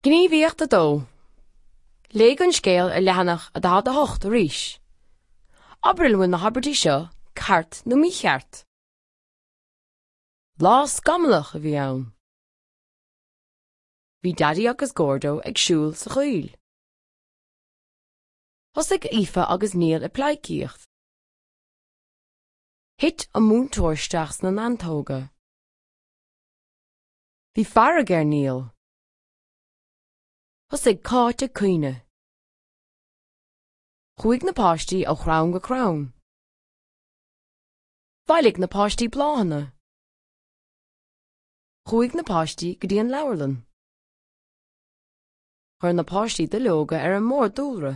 Gníomhaíocht 2. Léigh an scéal ar leathanach 48 arís. Abair an bhfuil na habairtí seo ceart nó mícheart. Lá scamallach a bhí ann. Bhí Daidí agus Gordo ag siúl sa choill. Thosaigh Aoife agus Niall ag pleidhcíocht. Thit an múinteoir isteach sna neantóga. Bhí fearg ar Niall. Thosaigh Cáit ag caoineadh. Chuaigh na páistí ó chrann go crann. Bhailigh na páistí bláthanna. Chuaigh na páistí go dtí an leabharlann. Chuir na páistí duilleoga ar an mbord dúlra.